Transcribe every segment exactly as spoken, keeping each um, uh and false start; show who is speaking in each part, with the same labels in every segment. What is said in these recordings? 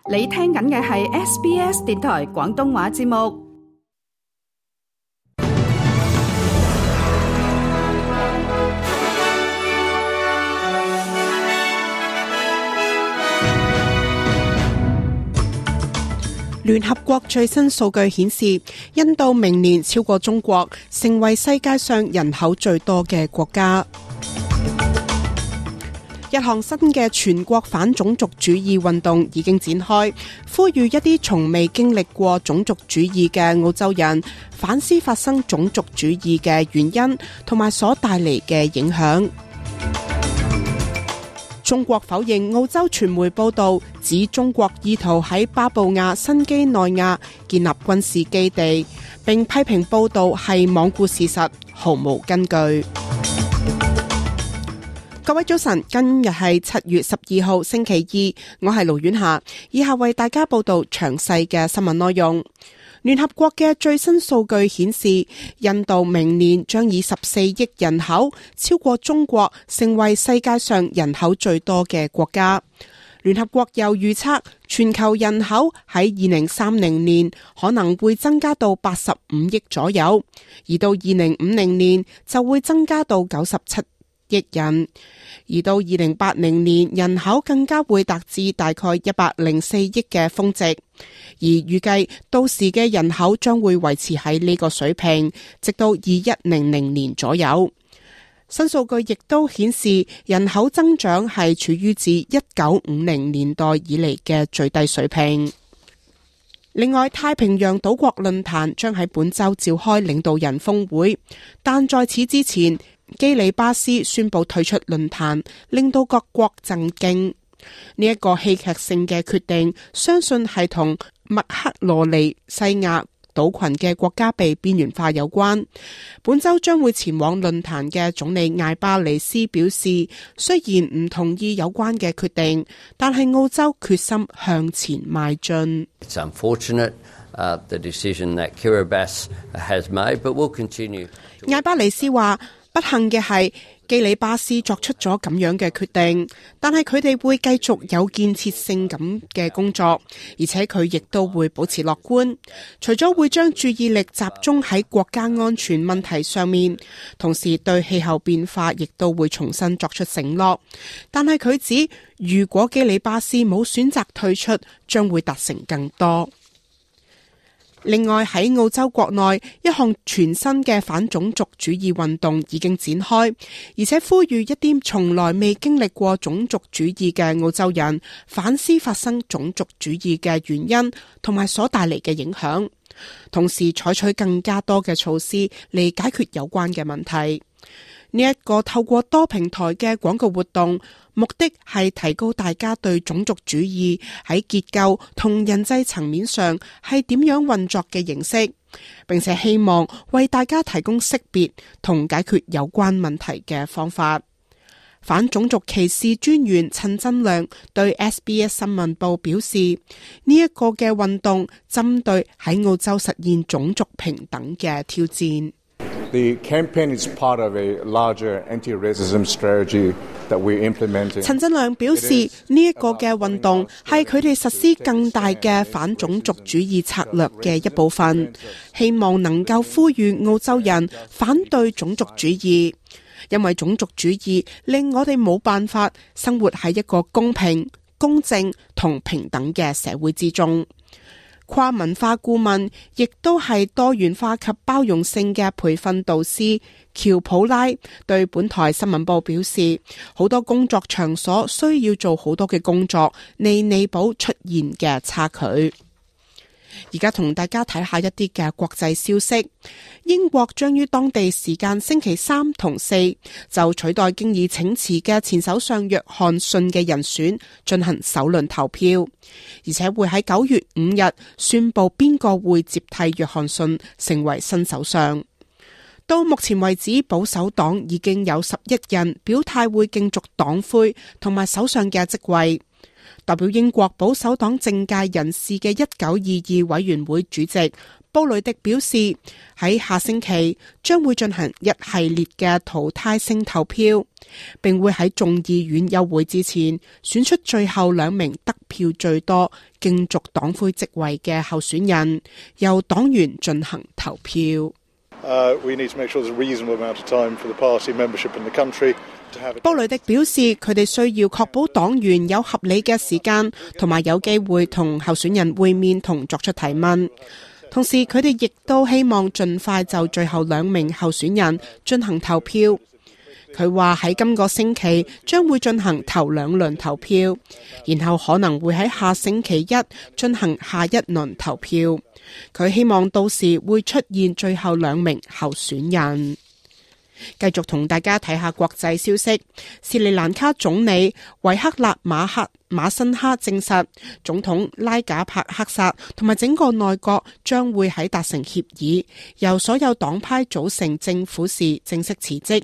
Speaker 1: 你聽緊嘅係 S B S 電台廣東話節目。
Speaker 2: 聯合國最新數據顯示，印度明年超過中國，成為世界上人口最多嘅國家。一項新嘅全國反種族主義運動已經展開，呼籲一啲從未經歷過種族主義嘅澳洲人反思發生種族主義嘅原因同埋所帶嚟嘅影響。中國否認澳洲傳媒報道，指中國意圖喺巴布亞新畿內亞建立軍事基地，並批評報道係罔顧事實，毫無根據。各位早晨，今日係七月十二號星期二，我係盧婉霞，以下為大家報道詳細嘅新聞內容。聯合國嘅最新數據顯示，印度明年將以十四億人口超過中國，成為世界上人口最多嘅國家。聯合國又預測，全球人口喺二零三零年可能會增加到八十五億左右，而到二零五零年就會增加到九十七億人，而到二零八零年人口更加會達至大概一百零四億嘅峰值，而預計到時嘅人口將會維持喺呢個水平，直到二一零零年左右。新數據亦都顯示，人口增長係處於自一九五零年代以嚟嘅最低水平。另外，太平洋島國論壇將喺本周召開領導人峰會，但在此之前，基里巴斯宣布退出論壇，令到各國震驚。呢一個戲劇性嘅決定，相信係同麥克羅尼西亞島群嘅國家被邊緣化有關。本周將會前往論壇嘅總理艾巴尼斯表示，雖然唔同意有關嘅決定，但係澳洲決心向前邁進。
Speaker 3: It's unfortunate, uh, the decision that Kiribati has made, but we'll continue.
Speaker 2: 艾巴尼斯話，不幸嘅係基里巴斯作出咗咁樣嘅決定，但係佢哋會繼續有建設性咁嘅工作，而且佢亦都會保持樂觀。除咗會將注意力集中喺國家安全問題上面，同時對氣候變化亦都會重新作出承諾。但係佢指，如果基里巴斯冇選擇退出，將會達成更多。另外，喺澳洲國內，一項全新嘅反種族主義運動已經展開，而且呼籲一啲從來未經歷過種族主義嘅澳洲人反思發生種族主義嘅原因同埋所帶嚟嘅影響，同時採取更加多嘅措施嚟解決有關嘅問題。呢一個透過多平台嘅廣告活動，目的係提高大家對種族主義喺結構同人際層面上係點樣運作嘅認識，並且希望為大家提供識別同解決有關問題嘅方法。反種族歧視專員陳振良對 S B S 新聞報表示，呢一個嘅運動針對喺澳洲實現種族平等嘅挑戰。
Speaker 4: The campaign is part of a larger anti-racism strategy that we implemented.
Speaker 2: 陳振良表示，呢一個嘅運動係佢哋實施更大嘅反種族主義策略嘅一部分，希望能夠呼籲澳洲人反對種族主義，因為種族主義令我哋冇辦法生活喺一個公平、公正同平等嘅社會之中。跨文化顧問亦都係多元化及包容性嘅培訓導師喬普拉對本台新聞報表示，好多工作場所需要做好多嘅工作嚟彌補出現嘅差距。而家同大家睇下一啲嘅國際消息。英國將於當地時間星期三同四就取代經已請辭嘅前首相約翰遜嘅人選進行首輪投票，而且會喺九月五日宣布邊個會接替約翰遜成為新首相。到目前為止，保守黨已經有十一人表態會競逐黨魁同埋首相嘅職位。代表英國保守黨政界人士嘅一九二二委員會主席布雷迪表示，喺下星期將會進行一系列嘅淘汰性投票，並會喺眾議院休會之前選出最後兩名得票最多競逐黨魁職位嘅候選人，由黨員進行投票。
Speaker 5: Uh, we need to make sure there's a reasonable amount of time for the party membership in the country to have a...
Speaker 2: 布雷迪表示，佢哋需要確保黨員有合理嘅時間，同埋有機會同候選人會面同作出提問。同時，佢哋亦都希望盡快就最後兩名候選人進行投票。佢話喺今個星期將會進行頭兩輪投票，然後可能會喺下星期一進行下一輪投票。佢希望到時會出現最後兩名候選人。繼續同大家睇下國際消息。斯里蘭卡總理維克勒馬克馬辛哈證實，總統拉賈帕克薩同埋整個內閣將會喺達成協議，由所有黨派組成政府時正式辭職。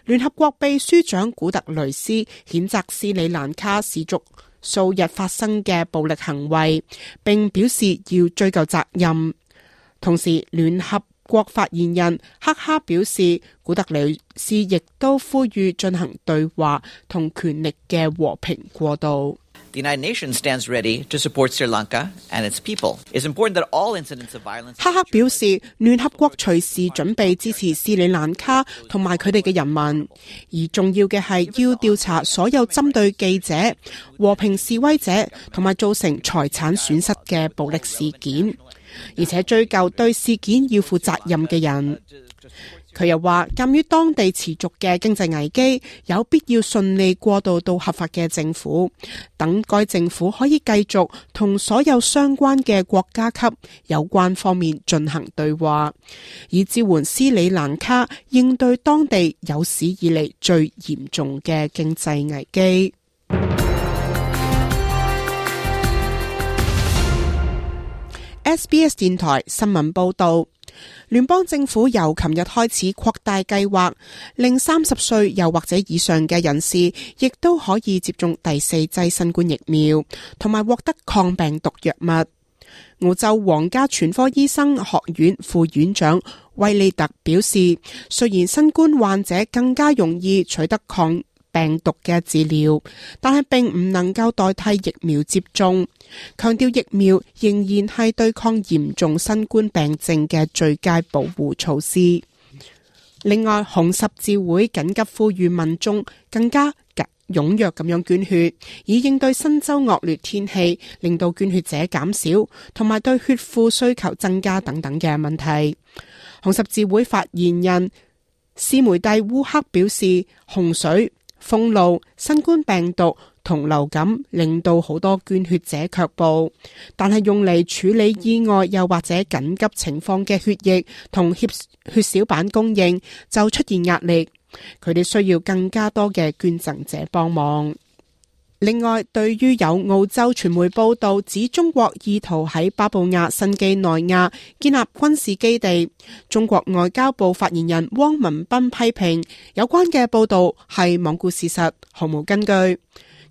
Speaker 2: 聯合國秘書長古特雷斯譴責斯里蘭卡持續數日發生嘅暴力行為，並表示要追究責任。同時，聯合國發言人克哈表示，古特雷斯亦都呼籲進行對話同權力嘅和平過渡。
Speaker 6: The United Nations stands ready to support Sri Lanka and its people. It's important that all incidents of violence...
Speaker 2: 克克表示，聯合國隨時準備支持斯里蘭卡同埋佢哋嘅人民，而重要嘅係要調查所有針對記者、和平示威者同埋造成財產損失嘅暴力事件，而且追究對事件要負責任嘅人。佢又話，鑑於當地持續嘅經濟危機，有必要順利過渡到合法嘅政府，等該政府可以繼續同所有相關嘅國家級有關方面進行對話，以支援斯里蘭卡應對當地有史以嚟最嚴重嘅經濟危機。S B S 電台新聞報道，聯邦政府由琴日開始擴大計劃，令三十歲又或者以上嘅人士亦都可以接種第四劑新冠疫苗，同埋獲得抗病毒藥物。澳洲皇家全科醫生學院副院長威利特表示，雖然新冠患者更加容易取得抗病毒嘅治療，但係並唔能夠代替疫苗接種，強調疫苗仍然係對抗嚴重新冠病症嘅最佳保護措施。另外，紅十字會緊急呼籲民眾更加踴躍咁樣捐血，以應對新州惡劣天氣令到捐血者減少，同埋對血庫需求增加等等嘅問題。紅十字會發言人斯梅蒂烏克表示，洪水、封路、新冠病毒同流感令到好多捐血者卻步，但係用嚟處理意外又或者緊急情況嘅血液同血血小板供應就出現壓力，佢哋需要更加多嘅捐贈者幫忙。另外，對於有澳洲傳媒報道指中國意圖喺巴布亞新幾內亞建立軍事基地，中國外交部發言人汪文斌批評有關嘅報道係罔顧事實，毫無根據。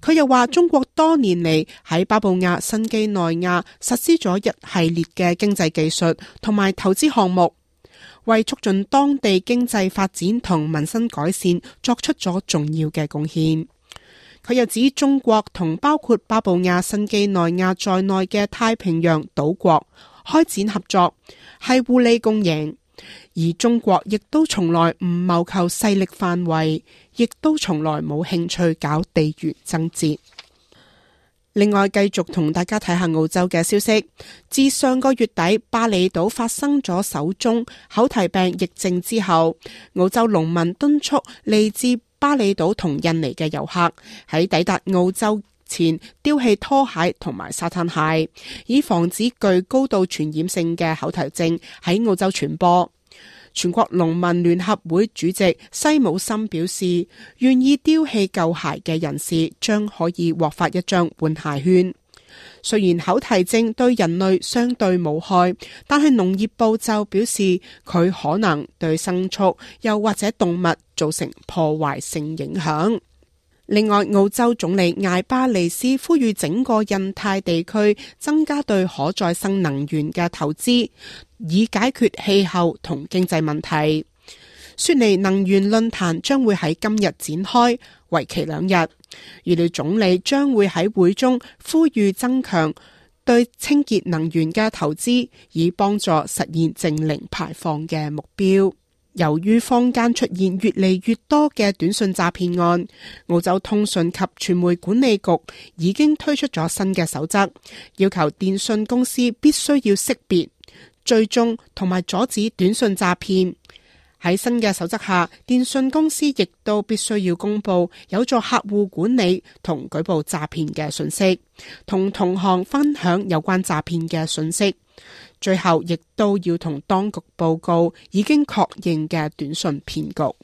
Speaker 2: 佢又話，中國多年嚟喺巴布亞新幾內亞實施咗一系列嘅經濟技術同埋投資項目，為促進當地經濟發展同民生改善作出咗重要嘅貢獻。佢又指，中國同包括巴布亞新幾內亞在內嘅太平洋島國開展合作係互利共贏，而中國亦都從來唔謀求勢力範圍，亦都從來冇興趣搞地緣爭奪。另外，繼續同大家睇下澳洲嘅消息。自上個月底巴厘島發生咗首宗口蹄病疫症之後，澳洲農民敦促嚟自巴厘島同印尼嘅遊客喺抵達澳洲前丟棄拖鞋同埋沙灘鞋，以防止具高度傳染性嘅口蹄症喺澳洲傳播。全國農民聯合會主席西姆森表示，願意丟棄舊鞋嘅人士將可以獲發一張換鞋券。雖然口蹄症對人類相對無害，但係農業部就表示佢可能對牲畜又或者動物造成破壞性影響。另外，澳洲總理艾巴尼斯呼籲整個印太地區增加對可再生能源嘅投資，以解決氣候同經濟問題。雪梨能源論壇將會喺今日展開，為期兩日。預料總理將會喺會中呼籲增強對清潔能源嘅投資，以幫助實現淨零排放嘅目標。由於坊間出現越嚟越多嘅短訊詐騙案，澳洲通訊及傳媒管理局已經推出咗新嘅守則，要求電訊公司必須要識別、追蹤同埋阻止短訊詐騙。喺新嘅守則下，電訊公司亦都必須要公布有助客戶管理同舉報詐騙嘅信息，同同行分享有關詐騙嘅信息。最後亦都要同當局報告已經確認嘅短訊騙局。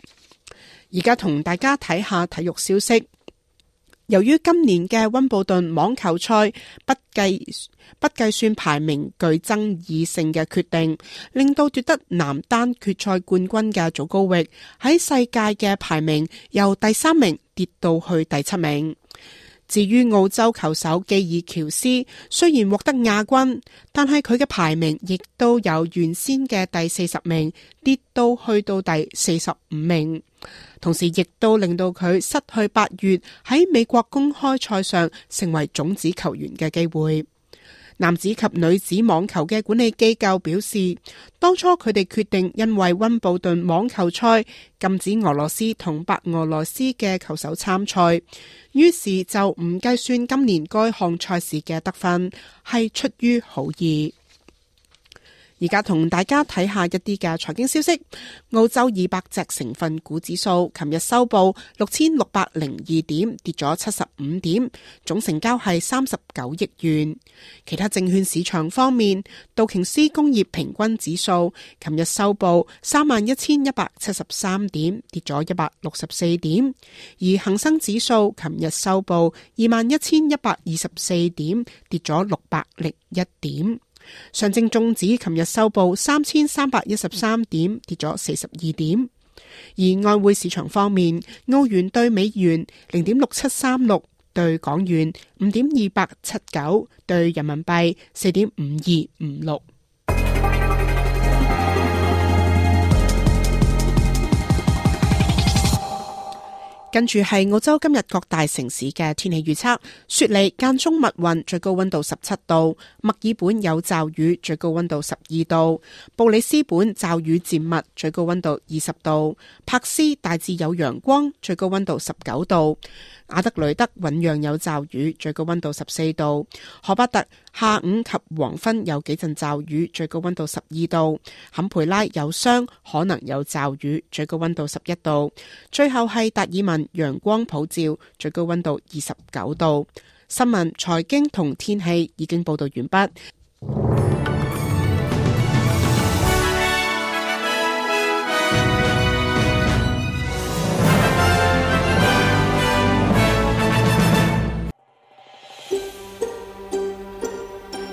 Speaker 2: 而家同大家睇下體育消息。由於今年嘅溫布頓網球賽不計不計算排名具爭議性嘅決定，令到奪得男單決賽冠軍嘅祖高域喺世界嘅排名由第三名跌到去第七名。至於澳洲球手基爾喬斯，雖然獲得亞軍，但係佢嘅排名亦都由原先嘅第四十名跌到去到第四十五名，同時亦都令到佢失去八月喺美國公開賽上成為種子球員嘅機會。男子及女子網球嘅管理機構表示，當初佢哋決定因為溫布頓網球賽禁止俄羅斯同白俄羅斯嘅球手參賽，於是就唔計算今年該項賽事嘅得分，係出於好意。而家同大家睇下一啲嘅財經消息。澳洲二百隻成分股指數琴日收報六千六百零二點，跌咗七十五點，總成交係三十九億元。其他證券市場方面，道瓊斯工業平均指數琴日收報三萬一千一百七十三點，跌咗一百六十四點，而恒生指數琴日收報二萬一千一百二十四點，跌咗六百零一點。上證綜指琴日收報三千三百一十三點，跌咗四十二點。而外匯市場方面，澳元兌美元零點六七三六，兌港元五點二八七九，兌人民幣四點五二五六。跟住係澳洲今日各大城市嘅天氣預測。雪梨間中密雲，最高溫度十七度；墨爾本有驟雨，最高溫度十二度；布里斯本驟雨漸密，最高溫度二十度；柏斯大致有陽光，最高溫度十九度；阿德雷德醞釀有驟雨，最高溫度十四度；荷巴特下午及黃昏有幾陣驟雨，最高溫度十二度；坎培拉有霜，可能有驟雨，最高溫度十一度；最後係達爾文陽光普照，最高溫度二十九度。新聞、財經同天氣已經報道完畢。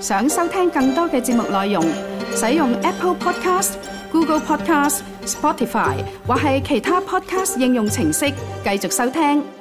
Speaker 1: 想收聽更多嘅節目內容，使用 Apple Podcast、Google Podcast、Spotify 或係其他 Podcast 應用程式繼續收聽。